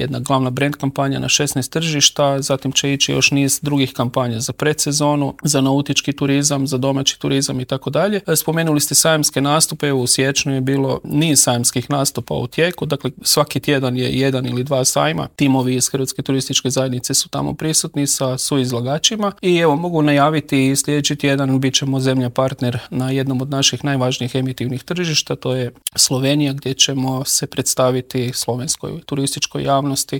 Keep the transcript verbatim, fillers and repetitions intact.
jedna glavna brand kampanja na šesnaest tržišta, zatim će ići još niz drugih kampanja za predsezonu, za nautički turizam, za domaći turizam i tako dalje. Spomenuli ste sajamske nastupe, u siječnju je bilo niz sajamskih nastupa u tijeku, dakle svaki tjedan je jedan ili dva sajma, timovi iz Hrvatske turističke zajednice su tamo prisutni sa suizlagačima i evo mogu najaviti sljedeći tjedan bit ćemo zemlja partner na jednom od naših najvažnijih emitivnih tržišta, to je Slovenija, gdje ćemo se predstaviti slovenskoj turističkoj javnosti